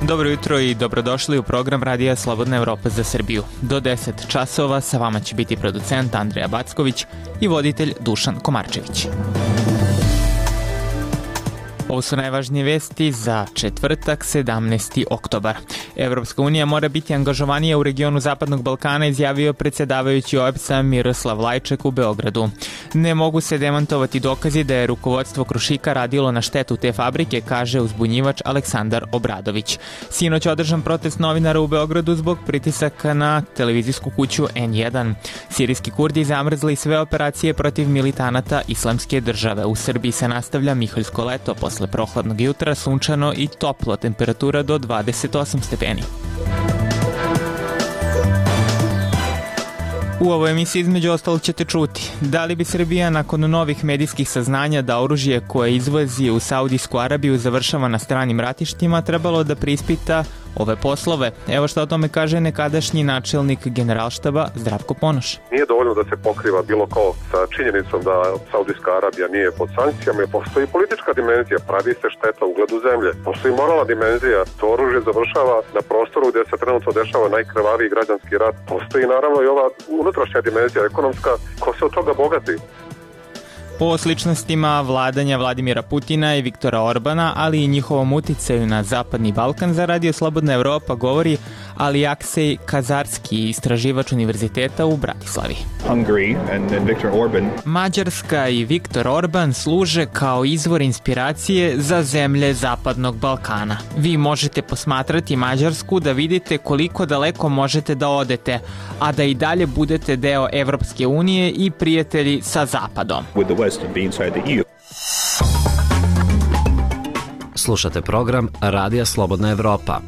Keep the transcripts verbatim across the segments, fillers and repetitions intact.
Dobro jutro i dobrodošli u program Radija Slobodna Evropa za Srbiju. Do deset časova sa vama će biti producent Andreja Backović i voditelj Dušan Komarčević. Ovo su najvažnije vesti za četvrtak, sedamnaesti oktobar. Evropska unija mora biti angažovanija u regionu Zapadnog Balkana, izjavio predsjedavajući O E B S-a Miroslav Lajček u Beogradu. Ne mogu se demantovati dokazi da je rukovodstvo Krušika radilo na štetu te fabrike, kaže uzbunjivač Aleksandar Obradović. Sinoć održan protest novinara u Beogradu zbog pritisaka na televizijsku kuću N jedan. Sirijski Kurdi zamrzli sve operacije protiv militanata Islamske države. U Srbiji se nastavlja miholjsko leto, posle prohladnog jutra sunčano i toplo, temperatura do dvadeset osam stepeni. U ovoj emisiji između ostalog ćete čuti da li bi Srbija nakon novih medijskih saznanja da oružje koje izvozi u Saudijsku Arabiju završava na stranim ratištima trebalo da preispita ove poslove. Evo što o tome kaže nekadašnji načelnik Generalštaba Zdravko Ponoš. Nije dovoljno da se pokriva bilo ko sa činjenicom da Saudijska Arabija nije pod sankcijama. Postoji politička dimenzija, pravi se šteta ugledu zemlje. Postoji moralna dimenzija, to oružje završava na prostoru gdje se trenutno dešava najkrvaviji građanski rat. Postoji naravno i ova unutrašnja dimenzija ekonomska, ko se od toga bogati. O sličnostima vladanja Vladimira Putina i Viktora Orbana, ali i njihovom uticaju na Zapadni Balkan, za Radio Slobodna Evropa govori Alijaksej Kazarski, istraživač univerziteta u Bratislavi. Hungary and, and Viktor Orban. Mađarska i Viktor Orban služe kao izvor inspiracije za zemlje Zapadnog Balkana. Vi možete posmatrati Mađarsku da vidite koliko daleko možete da odete, a da i dalje budete deo Evropske unije i prijatelji sa Zapadom. Slušate program Radija Slobodna Evropa.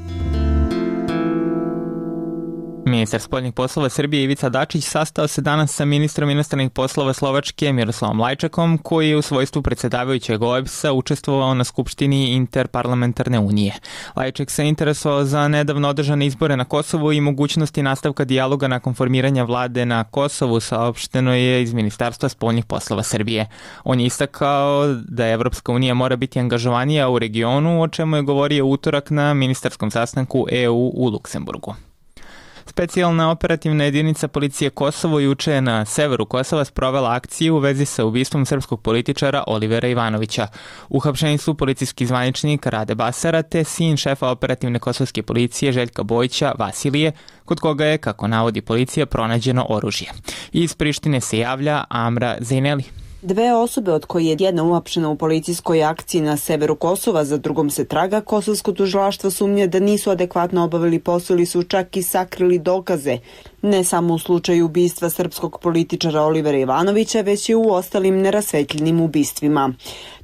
Ministar spoljnih poslova Srbije Ivica Dačić sastao se danas sa ministrom inostranih poslova Slovačke Miroslavom Lajčekom, koji je u svojstvu predsjedavajućeg O E B S-a učestvovao na Skupštini Interparlamentarne unije. Lajček se interesovao za nedavno održane izbore na Kosovu i mogućnosti nastavka dijaloga nakon formiranja vlade na Kosovu, saopšteno je iz Ministarstva spoljnih poslova Srbije. On je istakao da Evropska unija mora biti angažovanija u regionu, o čemu je govorio utorak na ministarskom sastanku E U u Luksemburgu. Specijalna operativna jedinica policije Kosovo juče je na severu Kosova sprovela akciju u vezi sa ubistvom srpskog političara Olivera Ivanovića. Uhapšeni su policijski zvaničnik Rade Basara te sin šefa operativne kosovske policije Željka Bojića Vasilije, kod koga je, kako navodi policija, pronađeno oružje. Iz Prištine se javlja Amra Zejneli. Dve osobe, od koje je jedna uhapšena u policijskoj akciji na severu Kosova, za drugom se traga, kosovsko tužilaštvo sumnja da nisu adekvatno obavili posao ili su čak i sakrili dokaze. Ne samo u slučaju ubistva srpskog političara Olivera Ivanovića, već i u ostalim nerasvetljenim ubistvima.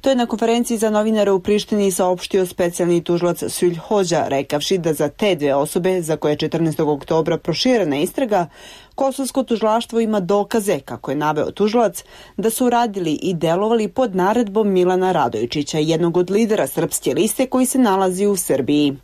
To je na konferenciji za novinare u Prištini saopštio specijalni tužilac Sulj Hođa, rekavši da za te dve osobe, za koje je četrnaestog oktobra proširena istraga, kosovsko tužilaštvo ima dokaze, kako je naveo tužilac, da su radili i delovali pod naredbom Milana Radojičića, jednog od lidera Srpske liste koji se nalazi u Srbiji.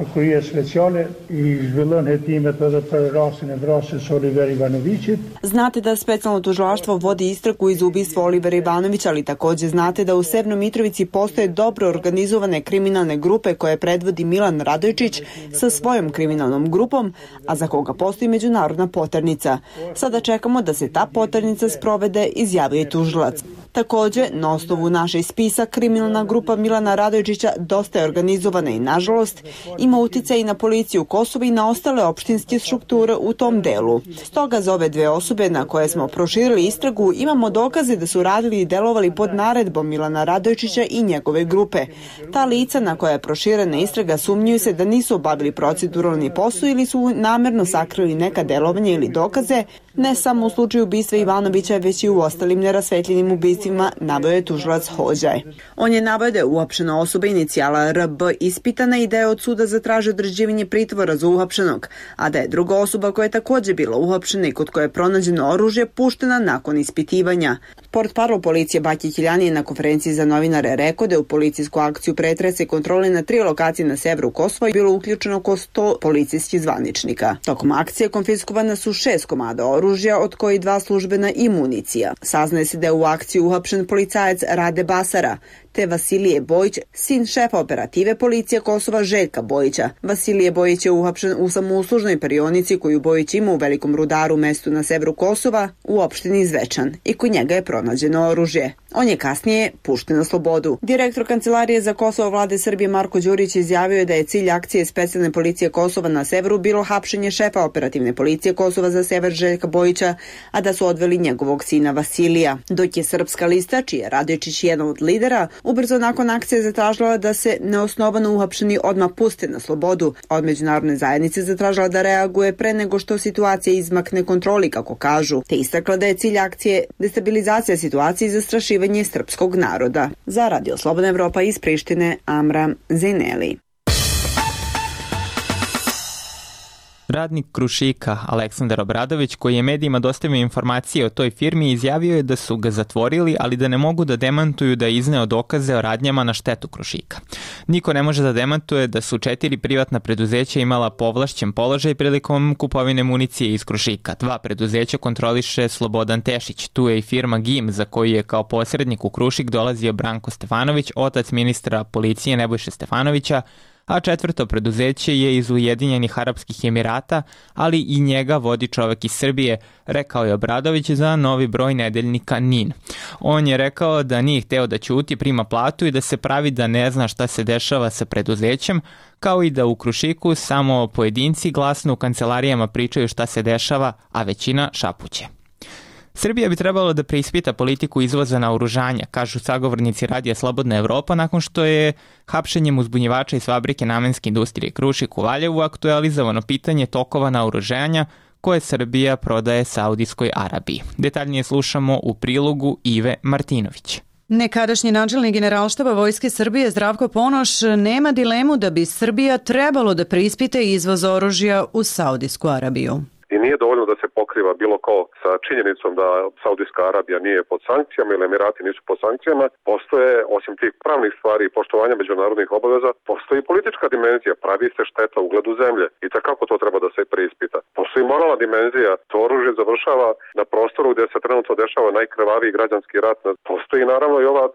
Ako je speciale i zhvillon hetimet edhe për rastin e vrasjes Olivera Ivanovićit. Znate da specijalno tužilaštvo vodi istragu iz ubistva Olivera Ivanovića, ali također znate da u Severnoj Mitrovici postoje dobro organizovane kriminalne grupe koje predvodi Milan Radojičić sa svojom kriminalnom grupom, a za koga postoji međunarodna poternica. Sada čekamo da se ta poternica sprovede, izjavio je tužilac. Također, na osnovu našeg spisa, kriminalna grupa Milana Radojičića dosta je organizovana i, nažalost, ima uticaj i na policiju Kosova i na ostale opštinske strukture u tom delu. Stoga za ove dve osobe na koje smo proširili istragu imamo dokaze da su radili i delovali pod naredbom Milana Radojičića i njegove grupe. Ta lica na koja je proširena istraga sumnjuju se da nisu obavili proceduralni posao ili su namjerno sakrili neka delovanja ili dokaze, ne samo u slučaju ubistva Ivanovića, već i u ostalim nerasvetljenim ubistvima, naveo je tužilac Hođaj. On je naveo da je uhapšena osoba inicijala R B ispitana i da je od suda zatražio određivanje pritvora za uhapšenog, a da je druga osoba koja je također bila uhapšena i kod koje je pronađeno oružje puštena nakon ispitivanja. Portparol policije Baki Kiljani je na konferenciji za novinare rekao da je u policijsku akciju pretresa i kontrole na tri lokacije na severu Kosova bilo uključeno oko sto policijskih zvaničnika. Tokom akcije konfiskovana su šest komada oružja, od koji dva službena i municija. Saznaje se da je u akciji uhapšen policajac Rade Basara, te Vasilije Bojić, sin šefa operative policije Kosova Željka Bojića. Vasilije Bojić je uhapšen u samouslužnoj perionici koju Bojić ima u Velikom Rudaru, mestu na severu Kosova, u opštini Zvečan, i kod njega je pronađeno oružje. On je kasnije pušten na slobodu. Direktor Kancelarije za Kosovo vlade Srbije Marko Đurić izjavio je da je cilj akcije specijalne policije Kosova na severu bilo hapšenje šefa operativne policije Kosova za sever Željka Bojića, a da su odveli njegovog sina Vasilija. Dok je Srpska lista, čiji je Radojičić jedan od lidera, ubrzo nakon akcije zatražila da se neosnovano uhapšeni odmah puste na slobodu. Od međunarodne zajednice zatražila da reaguje pre nego što situacija izmakne kontroli, kako kažu, te istakla da je cilj akcije destabilizacija situacije i zastrašivanje srpskog naroda. Za Radio Slobodna Evropa iz Prištine, Amra Zeneli. Radnik Krušika Aleksandar Obradović, koji je medijima dostavio informacije o toj firmi, izjavio je da su ga zatvorili, ali da ne mogu da demantuju da je izneo dokaze o radnjama na štetu Krušika. Niko ne može da demantuje da su četiri privatna preduzeća imala povlašćen položaj prilikom kupovine municije iz Krušika. Dva preduzeća kontroliše Slobodan Tešić. Tu je i firma G I M, za koju je kao posrednik u Krušik dolazio Branko Stefanović, otac ministra policije Nebojše Stefanovića, a četvrto preduzeće je iz Ujedinjenih Arapskih Emirata, ali i njega vodi čovek iz Srbije, rekao je Obradović za novi broj nedeljnika N I N. On je rekao da nije hteo da ćuti, prima platu i da se pravi da ne zna šta se dešava sa preduzećem, kao i da u Krušiku samo pojedinci glasno u kancelarijama pričaju šta se dešava, a većina šapuće. Srbija bi trebalo da preispita politiku izvoza naoružanja, kažu sagovornici Radija Slobodna Evropa, nakon što je hapšenjem uzbunjivača iz fabrike namenske industrije Krušik u Valjevu aktualizovano pitanje tokova naoružanja koje Srbija prodaje Saudijskoj Arabiji. Detaljnije slušamo u prilogu Ive Martinović. Nekadašnji načelnik Generalštaba Vojske Srbije Zdravko Ponoš nema dilemu da bi Srbija trebalo da preispita izvoz oružja u Saudijsku Arabiju. I nije dovoljno da se pokriva bilo ko sa činjenicom da Saudijska Arabija nije pod sankcijama ili Emirati nisu pod sankcijama. Postoje, osim tih pravnih stvari i poštovanja međunarodnih obaveza, postoji politička dimenzija, pravi se šteta ugledu zemlje i takako to treba da se preispita. Postoji moralna dimenzija, to oružje završava na prostoru gdje se trenutno dešava najkrvaviji građanski rat. Postoji naravno i ova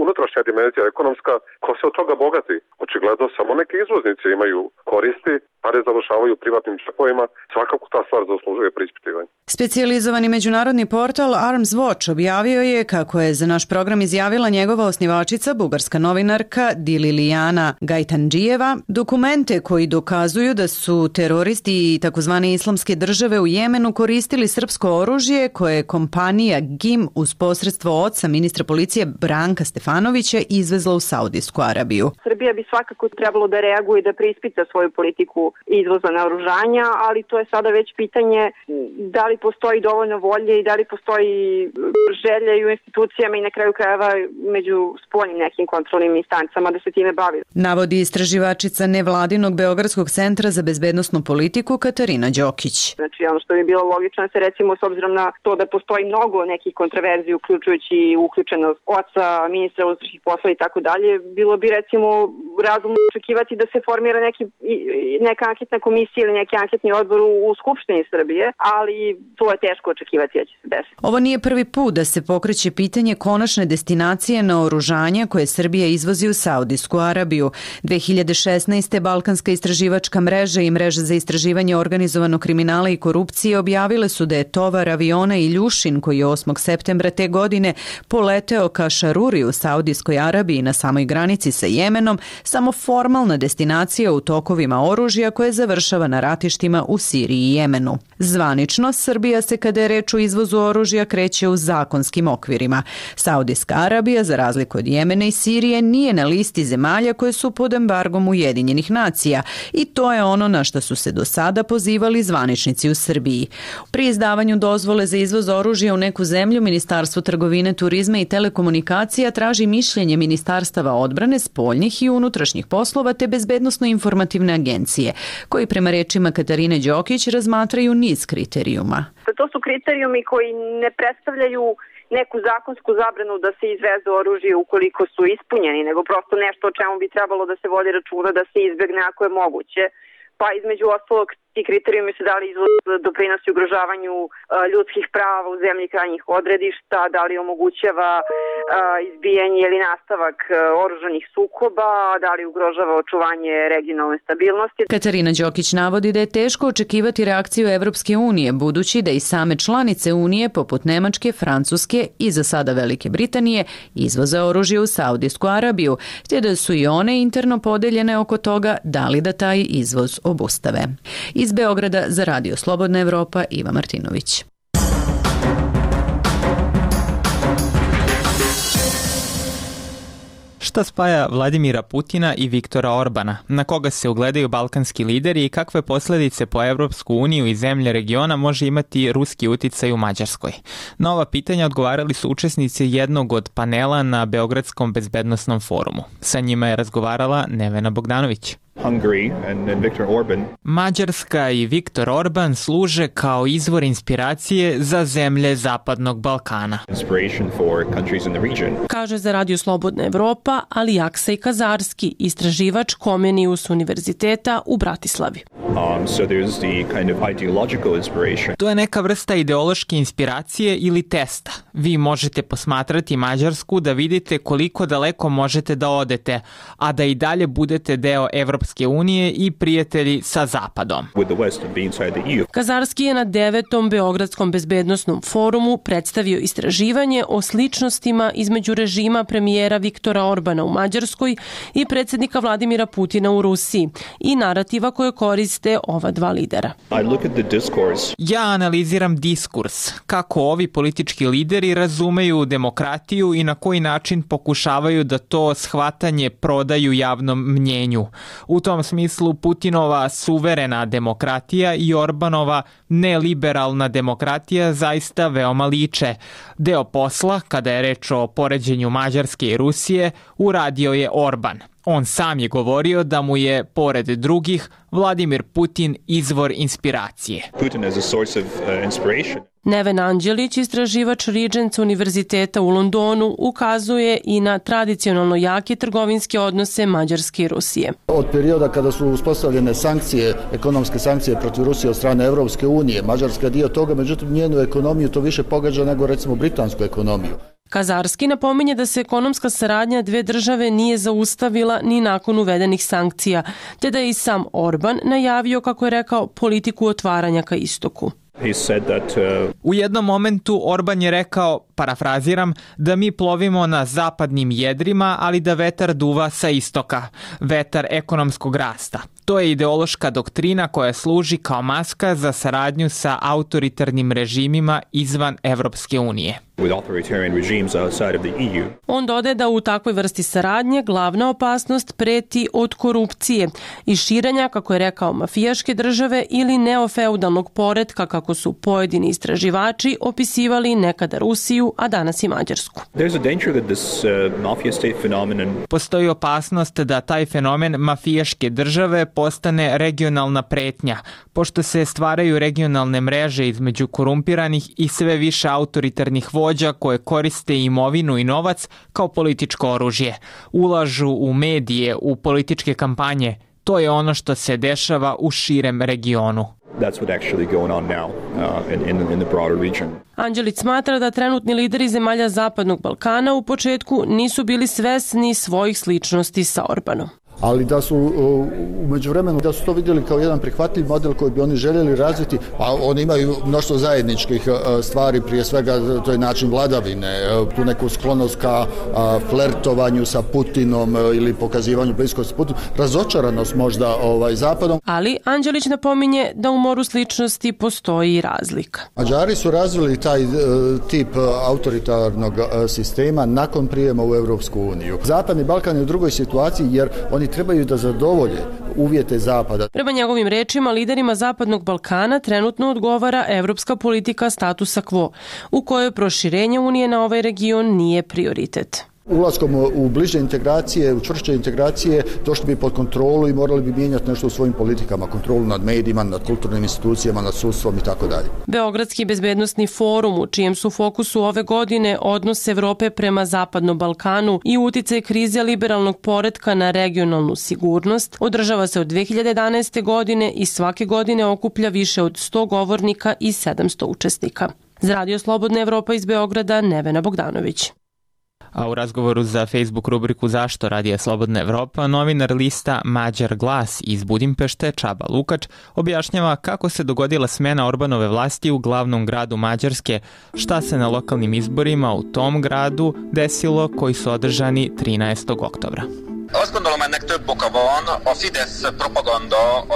unutrašnja dimenzija ekonomska, ko se od toga bogati. Očigledno samo neki izvoznici imaju koristi, pare završavaju privatnim džepovima, svakako ta stvar zaslužuje preispitivanje. Specijalizovani međunarodni portal Arms Watch objavio je, kako je za naš program izjavila njegova osnivačica, bugarska novinarka Dililijana Gajtandžijeva, dokumente koji dokazuju da su teroristi i takozvane islamske države u Jemenu koristili srpsko oružje koje je kompanija G I M uz posredstvo oca ministra policije Branka Stefanovića izvezla u Saudijsku Arabiju. Srbija bi svakako trebalo da reaguje i da preispita svoju politiku izvoza naoružanja, ali to je sada već pitanje da li postoji dovoljno volje i da li postoji želja i u institucijama i na kraju krajeva među spoljnim nekim kontrolnim instancama da se time bavi. Navodi istraživačica nevladinog Beogradskog centra za bezbednosnu politiku Katarina Đokić. Znači ono što bi bilo logično se recimo s obzirom na to da postoji mnogo nekih kontroverzija uključujući uključenost oca, ministra unutrašnjih poslova i tako dalje, bilo bi recimo razumno očekivati da se formira neki, neka anketna komisija ili neki anketni odbor u Skupštini Srbije, ali to je teško očekivati da će se desiti. Ovo nije prvi put da se pokreće pitanje konačne destinacije naoružanja koje Srbija izvozi u Saudijsku Arabiju. dve hiljade šesnaeste. Balkanska istraživačka mreža i mreža za istraživanje organizovanog kriminala i korupcije objavile su da je tovar aviona Iljušin, koji je osmog septembra te godine poleteo ka Šaruri u Saudijskoj Arabiji na samoj granici sa Jemenom, samo formalna destinacija u tokovima oružja koje završava na ratištima u Siriji i Jemenu. Zvanično, Srbija se kada je reč o izvozu oružja kreće u zakonskim okvirima. Saudijska Arabija, za razliku od Jemena i Sirije, nije na listi zemalja koje su pod embargom Ujedinjenih nacija i to je ono na što su se do sada pozivali zvaničnici u Srbiji. Pri izdavanju dozvole za izvoz oružja u neku zemlju, Ministarstvo trgovine, turizma i telekomunikacija traži mišljenje ministarstava odbrane, spoljnih i unutrašnjih poslova te bezbednosno-informativne agencije, koji prema rečima Katarine Đokić razmatraju niz kriterijuma. To su kriterijumi koji ne predstavljaju neku zakonsku zabranu da se izveze oružje ukoliko su ispunjeni, nego prosto nešto o čemu bi trebalo da se vodi računa da se izbegne ako je moguće. Pa između ostalog ti kriterijumi se da li izvoz doprinosi ugrožavanju ljudskih prava u zemlji krajnjih odredišta, da li omogućava izbijanje ili nastavak oružanih sukoba, da li ugrožava očuvanje regionalne stabilnosti. Katarina Đokić navodi da je teško očekivati reakciju Evropske unije, budući da i same članice Unije, poput Nemačke, Francuske i za sada Velike Britanije, izvoze oružje u Saudijsku Arabiju, te da su i one interno podeljene oko toga da li da taj izvoz obustave. Iz Beograda za Radio Slobodna Evropa, Iva Martinović. Šta spaja Vladimira Putina i Viktora Orbana? Na koga se ugledaju balkanski lideri i kakve posledice po Evropsku uniju i zemlje regiona može imati ruski uticaj u Mađarskoj? Na ova pitanja odgovarali su učesnici jednog od panela na Beogradskom bezbednosnom forumu. Sa njima je razgovarala Nevena Bogdanović. Hungary and, and Viktor Orban. Mađarska i Viktor Orban služe kao izvor inspiracije za zemlje Zapadnog Balkana. Inspiration for countries in the region. Kaže za Radio Slobodna Evropa Alijaksej Kazarski, istraživač Comenius univerziteta u Bratislavi. Um, so there's the kind of ideological inspiration. To je neka vrsta ideološke inspiracije ili testa. Vi možete posmatrati Mađarsku da vidite koliko daleko možete da odete, a da i dalje budete deo Evropske unije i prijatelji sa Zapadom. Kazarski je na devetom Beogradskom bezbednosnom forumu predstavio istraživanje o sličnostima između režima premijera Viktora Orbana u Mađarskoj i predsjednika Vladimira Putina u Rusiji i narativa koje koriste ova dva lidera. Ja analiziram diskurs, kako ovi politički lideri razumeju demokratiju i na koji način pokušavaju da to shvatanje prodaju javnom mnjenju. U tom smislu Putinova suverena demokratija i Orbanova neliberalna demokratija zaista veoma liče. Deo posla, kada je reč o poređenju Mađarske i Rusije, uradio je Orban. On sam je govorio da mu je, pored drugih, Vladimir Putin izvor inspiracije. Putin as a source of uh, inspiration. Neven Anđelić, istraživač Regents univerziteta u Londonu, ukazuje i na tradicionalno jake trgovinske odnose Mađarske i Rusije. Od perioda kada su uspostavljene sankcije, ekonomske sankcije protiv Rusije od strane Evropske unije, Mađarska je dio toga, međutim njenu ekonomiju to više pogađa nego recimo britansku ekonomiju. Kazarski napominje da se ekonomska saradnja dve države nije zaustavila ni nakon uvedenih sankcija, te da je i sam Orban najavio, kako je rekao, politiku otvaranja ka istoku. He said that, uh... U jednom momentu Orban je rekao, parafraziram, da mi plovimo na zapadnim jedrima, ali da vetar duva sa istoka, vetar ekonomskog rasta. To je ideološka doktrina koja služi kao maska za saradnju sa autoritarnim režimima izvan Evropske unije. On dodaje da u takvoj vrsti saradnje glavna opasnost preti od korupcije i širenja, kako je rekao, mafijaške države ili neofeudalnog poretka, kako su pojedini istraživači opisivali nekada Rusiju, a danas i Mađarsku. Postoji opasnost da taj fenomen mafijaške države postane regionalna pretnja, pošto se stvaraju regionalne mreže između korumpiranih i sve više autoritarnih vođa koje koriste imovinu i novac kao političko oružje. Ulažu u medije, u političke kampanje. To je ono što se dešava u širem regionu. That's what actually going on now uh, in, in, in the broader region. Anđelić smatra da trenutni lideri zemalja Zapadnog Balkana u početku nisu bili svesni svojih sličnosti sa Orbanom. Ali da su u međuvremenu da su to vidjeli kao jedan prihvatljiv model koji bi oni željeli razviti, a oni imaju mnoštvo zajedničkih stvari, prije svega to je način vladavine, tu neku sklonost ka flertovanju sa Putinom ili pokazivanju bliskosti Putinu, razočaranost možda ovaj, Zapadom. Ali Anđelić napominje da u moru sličnosti postoji i razlika. Mađari su razvili taj tip autoritarnog sistema nakon prijema u Evropsku uniju. Zapadni Balkan je u drugoj situaciji jer oni trebaju da zadovolje uvjete Zapada. Prema njegovim rečima, liderima Zapadnog Balkana trenutno odgovara evropska politika statusa quo, u kojoj proširenje Unije na ovaj region nije prioritet. Ulaskom u bliže integracije, u čvršće integracije, došli bi pod kontrolu i morali bi mijenjati nešto u svojim politikama, kontrolu nad medijima, nad kulturnim institucijama, nad sudstvom i tako dalje. Beogradski bezbednosni forum, u čijem su fokusu ove godine odnos Evrope prema Zapadnom Balkanu i uticaj krize liberalnog poretka na regionalnu sigurnost, održava se od dve hiljade jedanaeste. godine i svake godine okuplja više od sto govornika i sedamsto učesnika. Za Radio Slobodna Evropa iz Beograda, Nevena Bogdanović. A u razgovoru za Facebook rubriku Zašto Radija Slobodna Evropa, novinar lista Mađar glas iz Budimpešte, Čaba Lukač, objašnjava kako se dogodila smena Orbanove vlasti u glavnom gradu Mađarske, šta se na lokalnim izborima u tom gradu desilo koji su održani trinaestog oktobra.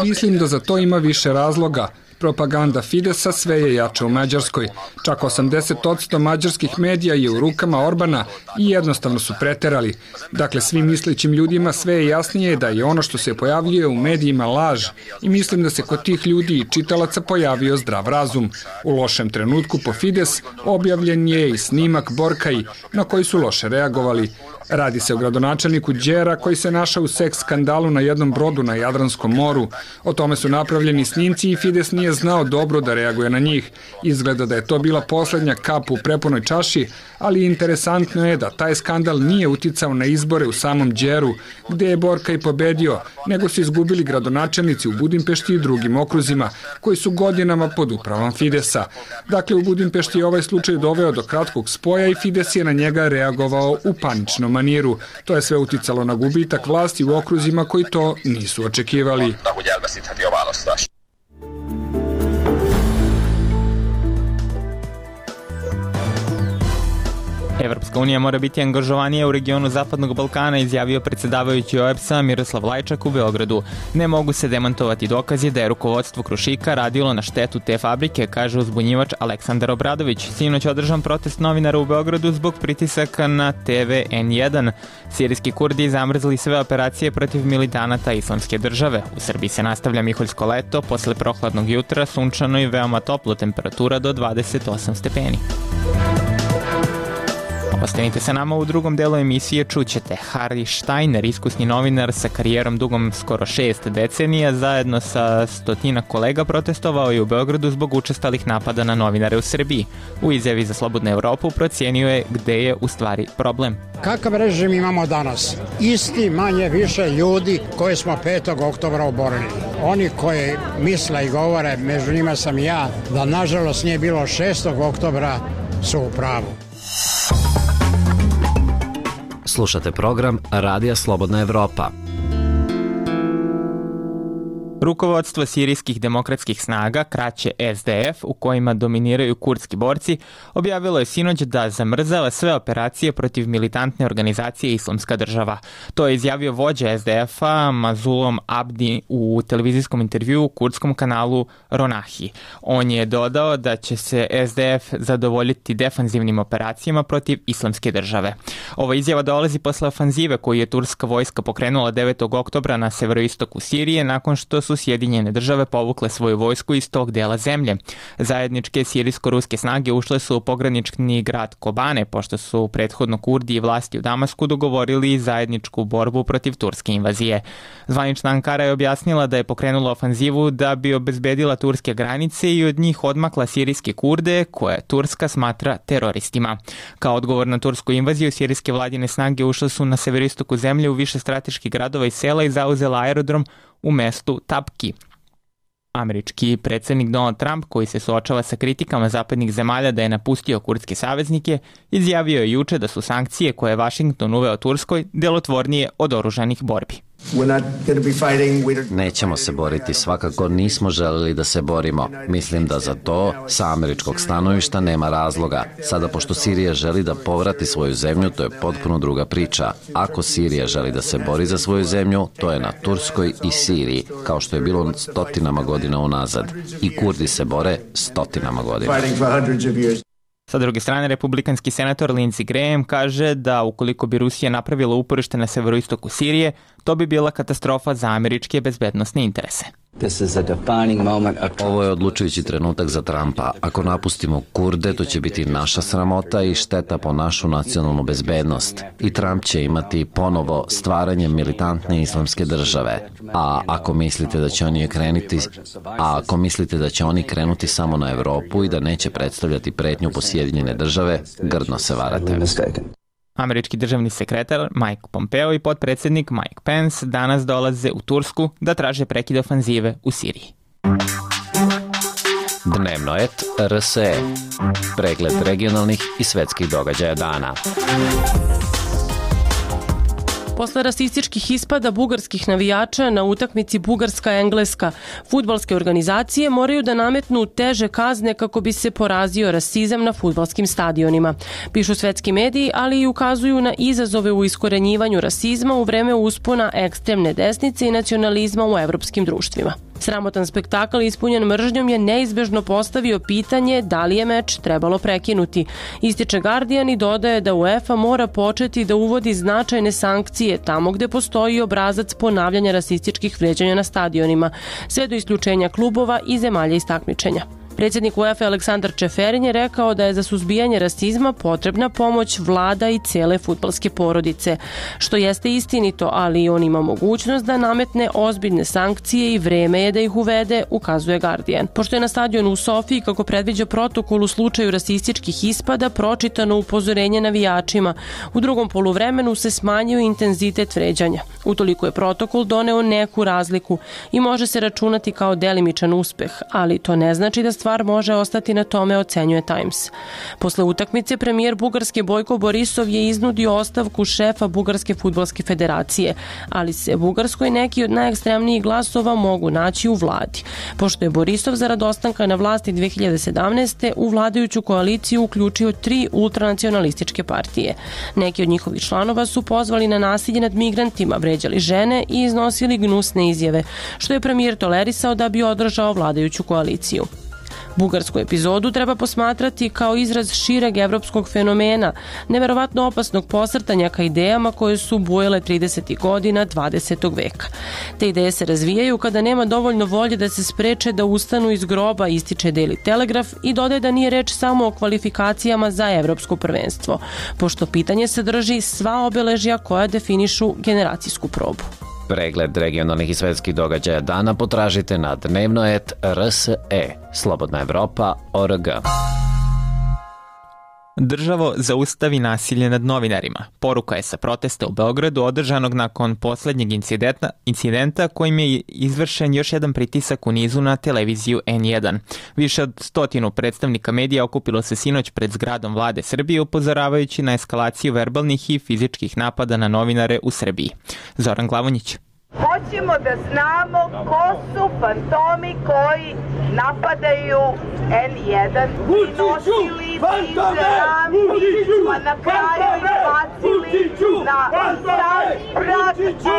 Mislim da za to ima više razloga. Propaganda Fidesa sve je jača u Mađarskoj. Čak osamdeset posto mađarskih medija je u rukama Orbana i jednostavno su preterali. Dakle, svim mislećim ljudima sve je jasnije da je ono što se pojavljuje u medijima laž i mislim da se kod tih ljudi i čitalaca pojavio zdrav razum. U lošem trenutku po Fides objavljen je i snimak Borkai na koji su loše reagovali. Radi se o gradonačelniku Đera koji se našao u seks skandalu na jednom brodu na Jadranskom moru. O tome su napravljeni snimci i Fides nije znao dobro da reaguje na njih. Izgleda da je to bila poslednja kap u prepunoj čaši, ali interesantno je da taj skandal nije uticao na izbore u samom Đeru, gde je Borkai pobedio, nego su izgubili gradonačelnici u Budimpešti i drugim okruzima, koji su godinama pod upravom Fidesa. Dakle, u Budimpešti je ovaj slučaj doveo do kratkog spoja i Fides je na njega reagovao u paničnom maniru. To je sve uticalo na gubitak vlasti u okruzima koji to nisu očekivali. Evropska unija mora biti angažovanija u regionu Zapadnog Balkana, izjavio predsjedavajući O E B S-a Miroslav Lajčak u Beogradu. Ne mogu se demantovati dokazi da je rukovodstvo Krušika radilo na štetu te fabrike, kaže uzbunjivač Aleksandar Obradović. Sinoć održan protest novinara u Beogradu zbog pritisaka na T V N jedan. Sirijski Kurdi zamrzli sve operacije protiv militanata Islamske države. U Srbiji se nastavlja miholjsko leto, posle prohladnog jutra, sunčano i veoma toplo, temperatura do dvadeset osam stepeni. Ostanite sa nama, u drugom delu emisije čućete Harry Steiner, iskusni novinar sa karijerom dugom skoro šest decenija, zajedno sa stotina kolega protestovao je u Beogradu zbog učestalih napada na novinare u Srbiji. U izjavi za Slobodnu Evropu procijenio je gde je u stvari problem. Kakav režim imamo danas? Isti manje više ljudi koje smo petog oktobra oborili. Oni koji misle i govore, među njima sam ja, da nažalost nije bilo šestog oktobra, su u pravu. Slušate program Radija Slobodna Evropa. Rukovodstvo sirijskih demokratskih snaga, kraće S D F, u kojima dominiraju kurdski borci, objavilo je sinoć da zamrzava sve operacije protiv militantne organizacije Islamska država. To je izjavio vođa S D F-a Mazlum Abdi u televizijskom intervjuu u kurdskom kanalu Ronahi. On je dodao da će se S D F zadovoljiti defanzivnim operacijama protiv Islamske države. Ova izjava dolazi posle ofanzive koju je turska vojska pokrenula devetog oktobra na severoistoku Sirije nakon što su Sjedinjene države povukle svoju vojsku iz tog dela zemlje. Zajedničke sirijsko-ruske snage ušle su u pogranični grad Kobane, pošto su prethodno Kurdi i vlasti u Damasku dogovorili zajedničku borbu protiv turske invazije. Zvanična Ankara je objasnila da je pokrenula ofanzivu da bi obezbedila turske granice i od njih odmakla sirijske Kurde, koje Turska smatra teroristima. Kao odgovor na tursku invaziju, sirijske vladine snage ušle su na severistoku zemlje u više strateških gradova i sela i zauzela aerodrom u mestu Tapki. Američki predsjednik Donald Trump, koji se suočava sa kritikama zapadnih zemalja da je napustio kurdske saveznike, izjavio je juče da su sankcije koje je Washington uveo Turskoj delotvornije od oružanih borbi. Nećemo se boriti, svakako nismo želeli da se borimo. Mislim da za to sa američkog stanovišta nema razloga. Sada, pošto Sirija želi da povrati svoju zemlju, to je potpuno druga priča. Ako Sirija želi da se bori za svoju zemlju, to je na Turskoj i Siriji, kao što je bilo stotinama godina unazad. I Kurdi se bore stotinama godina. Sa druge strane, republikanski senator Lindsey Graham kaže da ukoliko bi Rusija napravila uporište na severoistoku Sirije, to bi bila katastrofa za američke bezbednosne interese. Ovo je odlučujući trenutak za Trumpa. Ako napustimo Kurde, to će biti naša sramota i šteta po našu nacionalnu bezbednost. I Trump će imati ponovo stvaranje militantne islamske države. A ako mislite da će oni krenuti, a ako mislite da će oni krenuti samo na Evropu i da neće predstavljati pretnju po Sjedinjene države, grdno se varate. Američki državni sekretar Mike Pompeo i potpredsjednik Mike Pence danas dolaze u Tursku da traže prekid ofanzive u Siriji. Dnevnoet R S E. Pregled regionalnih i svetskih događaja dana. Posle rasističkih ispada bugarskih navijača na utakmici Bugarska-Engleska, fudbalske organizacije moraju da nametnu teže kazne kako bi se porazio rasizam na fudbalskim stadionima. Pišu svetski mediji, ali i ukazuju na izazove u iskorenjivanju rasizma u vreme uspona ekstremne desnice i nacionalizma u evropskim društvima. Sramotan spektakl ispunjen mržnjom je neizbežno postavio pitanje da li je meč trebalo prekinuti. Ističe Guardian i dodaje da UEFA mora početi da uvodi značajne sankcije tamo gde postoji obrazac ponavljanja rasističkih vređanja na stadionima, sve do isključenja klubova i zemalja iz takmičenja. Predsjednik UEFA Aleksandar Čeferin je rekao da je za suzbijanje rasizma potrebna pomoć vlada i cele fudbalske porodice, što jeste istinito, ali on ima mogućnost da nametne ozbiljne sankcije i vreme je da ih uvede, ukazuje Guardian. Pošto je na stadionu u Sofiji, kako predviđa protokol u slučaju rasističkih ispada, pročitano upozorenje navijačima, u drugom poluvremenu se smanjio intenzitet vređanja. Utoliko je protokol doneo neku razliku i može se računati kao delimičan uspeh, ali to ne znači da stvar može ostati na tome, ocenjuje Times. Posle utakmice premijer Bugarske Bojko Borisov je iznudio ostavku šefa Bugarske fudbalske federacije, ali se Bugarskoj neki od najekstremnijih glasova mogu naći u vladi, pošto je Borisov zarad ostanka na vlasti dve hiljade sedamnaeste. u vladajuću koaliciju uključio tri ultranacionalističke partije. Neki od njihovih članova su pozvali na nasilje nad migrantima, vređali žene i iznosili gnusne izjave, što je premijer tolerisao da bi održao vladajuću koaliciju. Bugarsku epizodu treba posmatrati kao izraz šireg evropskog fenomena, neverovatno opasnog posrtanja ka idejama koje su bujele tridesetih godina dvadesetog veka. Te ideje se razvijaju kada nema dovoljno volje da se spreče da ustanu iz groba, ističe Daily Telegraph i dodaje da nije reč samo o kvalifikacijama za evropsko prvenstvo, pošto pitanje sadrži sva obeležja koja definišu generacijsku probu. Pregled regionalnih i svetskih događaja dana potražite na Dnevnoet R S E. Slobodna Evropa, O R G. Državo, zaustavi nasilje nad novinarima. Poruka je sa protesta u Beogradu održanog nakon poslednjeg incidenta, incidenta kojim je izvršen još jedan pritisak u nizu na televiziju N jedan. Više od stotinu predstavnika medija okupilo se sinoć pred zgradom vlade Srbije upozoravajući na eskalaciju verbalnih i fizičkih napada na novinare u Srbiji. Zoran Glavonjić. Hoćemo da znamo ko su fantomi koji napadaju N jedan i nosili bivše rampi, pa na kraju izbacili na prat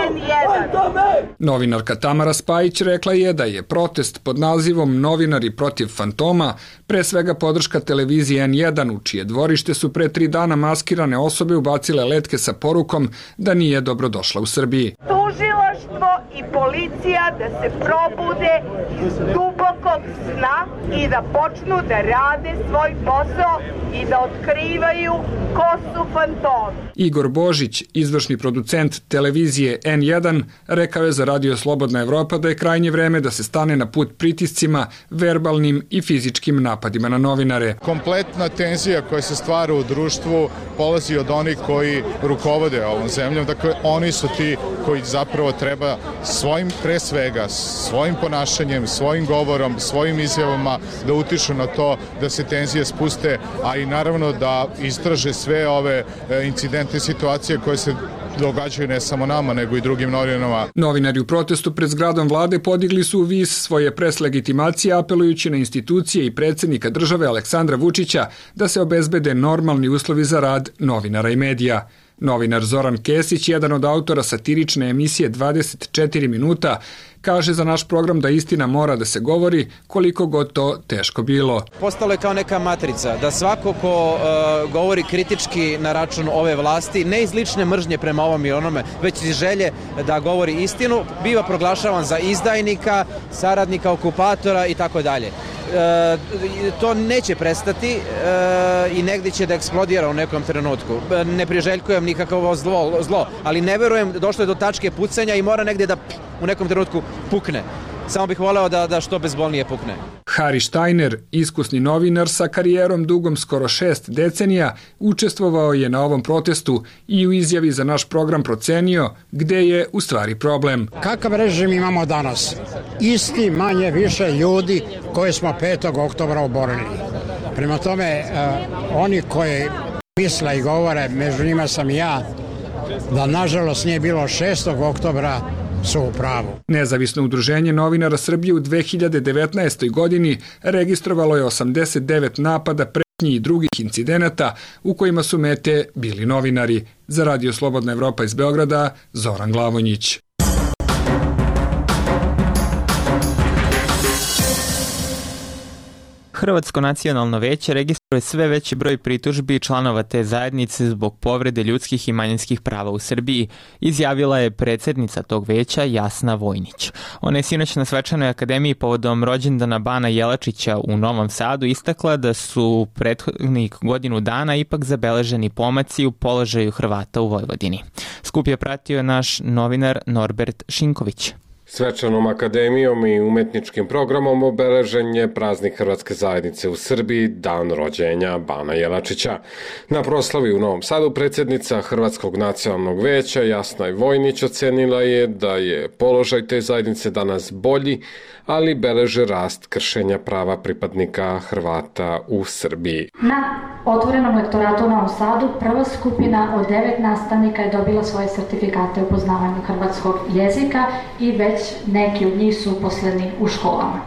N jedan. Novinarka Tamara Spajić rekla je da je protest pod nazivom Novinari protiv fantoma pre svega podrška televiziji N jedan, u čije dvorište su pre tri dana maskirane osobe ubacile letke sa porukom da nije dobrodošla u Srbiji. Tužilaštvo i policija da se probude iz dubokog sna i da počnu da rade svoj posao i da otkrivaju ko su fantomi. Igor Božić, izvršni producent televizije N jedan, rekao je za Radio Slobodna Evropa da je krajnje vreme da se stane na put pritiscima, verbalnim i fizičkim napadima na novinare. Kompletna tenzija koja se stvara u društvu polazi od onih koji rukovode ovom zemljom. Dakle, oni su ti koji zapravo treba svojim, pre svega, svojim ponašanjem, svojim govorom, svojim izjavama da utiču na to da se tenzije spuste, a i naravno da istraže sve ove incidente i situacije koje se događaju ne samo nama, nego i drugim novinama. Novinari u protestu pred zgradom vlade podigli su u vis svoje pres legitimacije, apelujući na institucije i predsjednika države Aleksandra Vučića da se obezbede normalni uslovi za rad novinara i medija. Novinar Zoran Kesić, jedan od autora satirične emisije dvadeset četiri minuta, kaže za naš program da istina mora da se govori koliko god to teško bilo. Postalo je kao neka matrica, da svako ko uh, govori kritički na račun ove vlasti, ne iz lične mržnje prema ovom i onome, već iz želje da govori istinu, biva proglašavan za izdajnika, saradnika okupatora i tako dalje. E, to neće prestati e, i negdje će da eksplodira u nekom trenutku. E, ne priželjkujem nikakvo zlo, zlo, ali ne verujem, došlo je do tačke pucanja i mora negdje da u nekom trenutku pukne. Samo bih voleo da, da što bezbolnije pukne. Harry Steiner, iskusni novinar sa karijerom dugom skoro šest decenija, učestvovao je na ovom protestu i u izjavi za naš program procenio gde je u stvari problem. Kakav režim imamo danas? Isti manje više ljudi koje smo petog oktobra oborili. Prema tome, uh, oni koji misle i govore, među njima sam ja, da nažalost nije bilo šestog oktobra, su u pravu. Nezavisno udruženje novinara Srbije u dve hiljade devetnaestoj. godini registrovalo je osamdeset devet napada, pretnji i drugih incidenata u kojima su mete bili novinari. Za Radio Slobodna Evropa iz Beograda, Zoran Glavonjić. Hrvatsko nacionalno veće registruje sve veći broj pritužbi članova te zajednice zbog povrede ljudskih i manjinskih prava u Srbiji, izjavila je predsednica tog veća Jasna Vojnić. Ona je sinoć na Svečanoj akademiji povodom rođendana Bana Jelačića u Novom Sadu istakla da su prethodnih godinu dana ipak zabeleženi pomaci u položaju Hrvata u Vojvodini. Skup je pratio naš novinar Norbert Šinković. Svečanom akademijom i umetničkim programom obeležen je praznik Hrvatske zajednice u Srbiji, dan rođenja Bana Jelačića. Na proslavi u Novom Sadu predsjednica Hrvatskog nacionalnog veća Jasna Vojnić ocenila je da je položaj te zajednice danas bolji, ali beleže rast kršenja prava pripadnika Hrvata u Srbiji. Na otvorenom lektoratu u Novom Sadu prva skupina od devet nastavnika je dobila svoje sertifikate u poznavanju hrvatskog jezika i već neki od njih su uposleni u školama.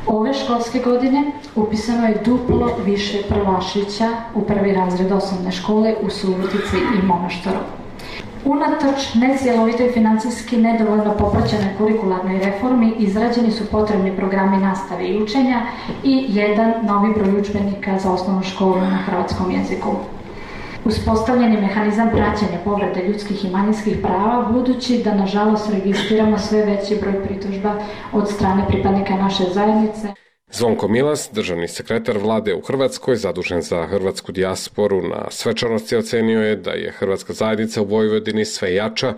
Ove školske godine upisano je duplo više prvašića u prvi razred osnovne škole u Subotici i Monoštoru. Unatoč necjelovitoj financijski nedovoljno popraćenoj kurikularnoj reformi izrađeni su potrebni programi nastave i učenja i jedan novi broj udžbenika za osnovnu školu na hrvatskom jeziku. Uspostavljen je mehanizam praćenja povrede ljudskih i manjinskih prava, budući da nažalost registriramo sve veći broj pritužba od strane pripadnika naše zajednice. Zvonko Milas, državni sekretar vlade u Hrvatskoj, zadužen za hrvatsku dijasporu, na svečanosti ocenio je da je hrvatska zajednica u Vojvodini sve jača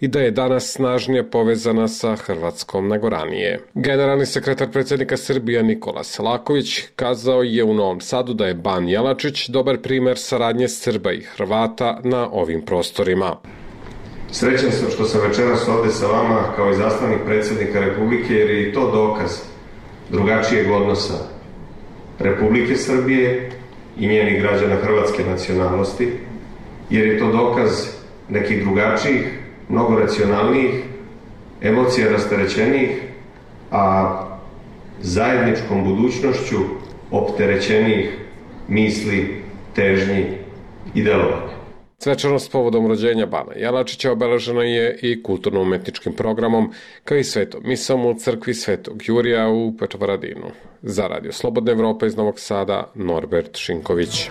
i da je danas snažnije povezana sa Hrvatskom nego ranije. Generalni sekretar predsjednika Srbije Nikola Selaković kazao je u Novom Sadu da je Ban Jelačić dobar primer saradnje Srba i Hrvata na ovim prostorima. Srećan sam što sam večeras ovde sa vama kao i zastavnik predsjednika Republike, jer je i to dokaz drugačijeg odnosa Republike Srbije i njenih građana hrvatske nacionalnosti, jer je to dokaz nekih drugačijih, mnogo racionalnijih, emocija rasterećenijih, a zajedničkom budućnošću opterećenijih misli, težnji i delovanja. Svečanost povodom rođenja Bana Jelačića obeležena je i kulturno-umetničkim programom, kao i svetom misom u crkvi Svetog Jurija u Petrovaradinu. Za Radio Slobodna Evropa iz Novog Sada, Norbert Šinković.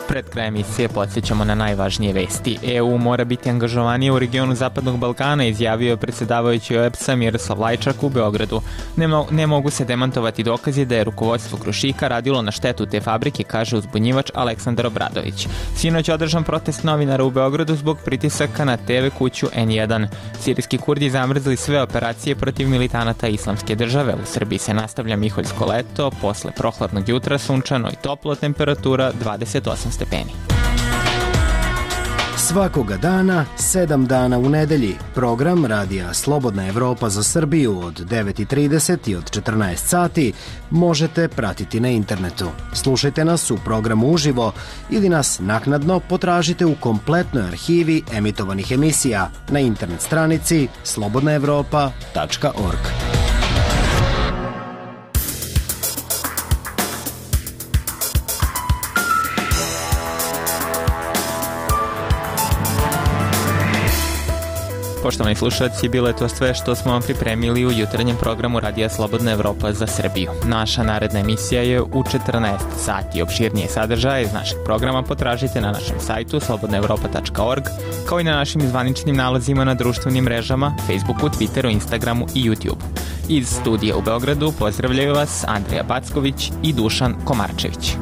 Pred krajem emisije podsjećamo na najvažnije vesti. E U mora biti angažovanije u regionu Zapadnog Balkana, izjavio je predsjedavajući O E B S-a Miroslav Lajčak u Beogradu. Ne, mo ne mogu se demantovati dokazi da je rukovodstvo Krušika radilo na štetu te fabrike, kaže uzbunjivač Aleksandar Obradović. Sinoć održan protest novinara u Beogradu zbog pritisaka na te ve kuću N jedan. Sirijski Kurdi zamrzli sve operacije protiv militanata Islamske države. U Srbiji se nastavlja miholjsko leto, posle prohladnog jutra sunčano i toplo, temperatura dvadeset osam stepeni. Svakoga dana, sedam dana u nedelji, program Radija Slobodna Evropa za Srbiju od devet i trideset i od četrnaest sati možete pratiti na internetu. Slušajte nas u programu uživo ili nas naknadno potražite u kompletnoj arhivi emitovanih emisija na internet stranici slobodna evropa tačka org. Poštovani slušalci, bilo je to sve što smo vam pripremili u jutarnjem programu Radija Slobodna Evropa za Srbiju. Naša naredna emisija je u četrnaest sati. Opširnije sadržaje iz našeg programa potražite na našem sajtu slobodna evropa tačka org, kao i na našim zvaničnim nalazima na društvenim mrežama, Facebooku, Twitteru, Instagramu i YouTube. Iz studija u Beogradu pozdravljaju vas Andrija Backović i Dušan Komarčević.